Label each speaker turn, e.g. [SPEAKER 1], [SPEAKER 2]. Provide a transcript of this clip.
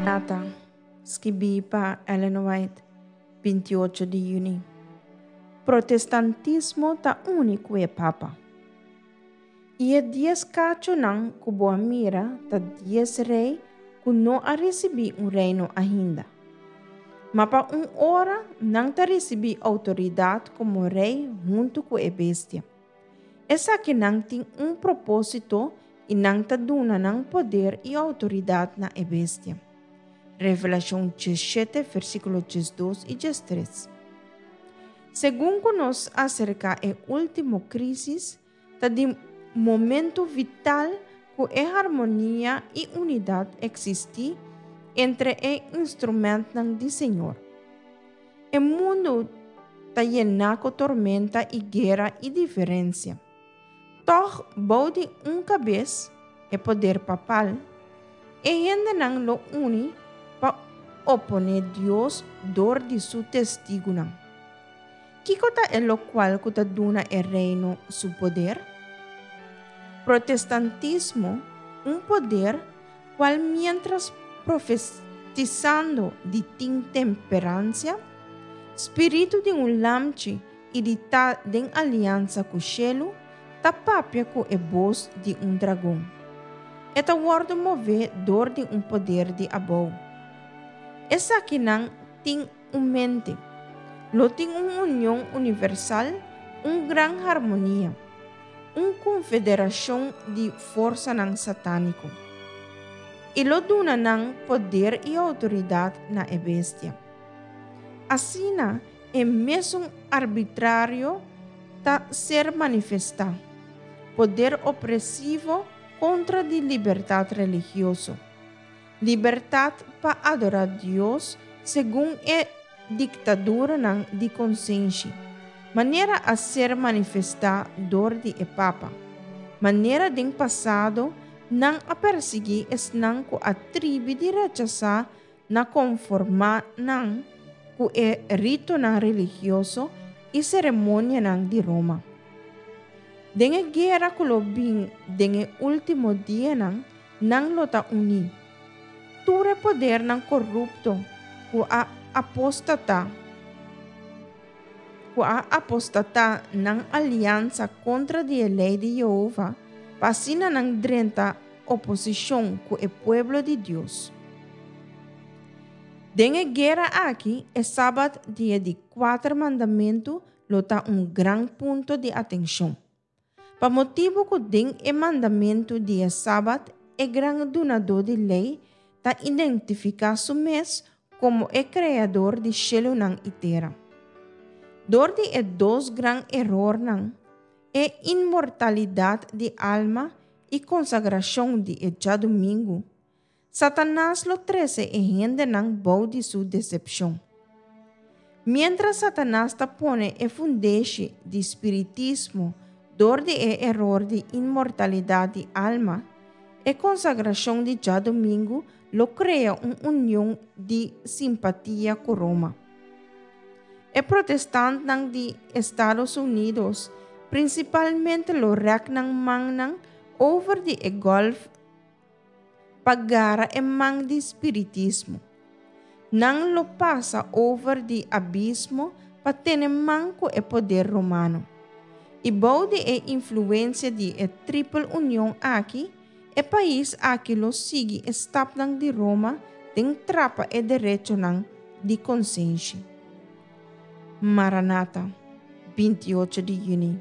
[SPEAKER 1] Nata, skibí pa Ellen White, 28 di yüni. Protestantismo ta uni ku e Papa. I e dies kachonan ku bo a mira ta dies rei ku no a risibí un reino ainda. Ma pa un ora nan ta risibí outoridat komo rei huntu ku e bestia. Esakinan tin un propósito i nan ta duna nan poder i outoridat na e bestia. Revelashon 17, versíkulo 12 i 13. Segun ku nos aserká e último krísis, ta di momento vital ku e harmonia i unidat eksistí entre e instrumentnan di Señor. E mundu ta yená ku tormenta i guera i diferensia. Tòg bou di un kabes, e poder papal, e hendenan lo uni pa oponé Dios dor di su testigunan. Kiko ta e lokual ku ta duna e reino su poder? Protestantismo, un poder kual miéntras profetisando di tin temperansia, spiritu di un lamchi i di ta den aliansa ku shelu, ta papia ku e bos di un dragon. E ta wòrdu mové dor di un poder di abou. Esakinan tin un mente. Lo tin un union universal, un gran harmonia, un konfederashon di forsanan satániko. I lo duna nan poder i outoridat na e bestia. Asina e mesun arbitrario ta ser manifestá, poder opresivo kontra di libertat religioso, libertat pa adorá Dios segun e diktaduranan di konsenshi, manera a ser manifestá dor di e Papa. Manera den pasado nan a persiguí esnan ku a tribi di rechasá na konformá nan ku e ritonan religioso i seremonianan di Roma. Den e guera ku lo bin den e último dianan, nan lo ta uní. Tur e podernan korupto ku a apostatá ku a apostatá nan aliansa kontra di e lei di Yehova pa asina nan drenta oposishon ku e pueblo di Dios. Den e guera aki, e Sabat di e di kuater mandamentu lo ta un gran punto di atenshon. Pa motibu ku den e mandamentu di e Sabat e gran Dunadó di Lei ta identifiká su mes komo e Kreador di shelunan i tera. Dor di e dos gran erornan, e inmortalidat di alma i konsagrashon di e djadumingu, Satanas lo trese e hendenan bou di su desepshon. Miéntras Satanas ta pone e fundeshi di spiritismo dor di e eror di inmortalidat di alma, e konsagrashon di djadumingu lo krea un union di simpatia ku Roma. E protestantnan di Estados Unidos prinsipalmente lo rèk nan mannan over di e Gòlf pa gara e man di spiritismo. Nan lo pasa over di abismo pa tene man ku e poder romano. I bou di e influensia di e tripel union aki, e pais aki lo sigui e stapnan di Roma den trapa e derechonan di konsenshi. Maranata, 28 di yüni.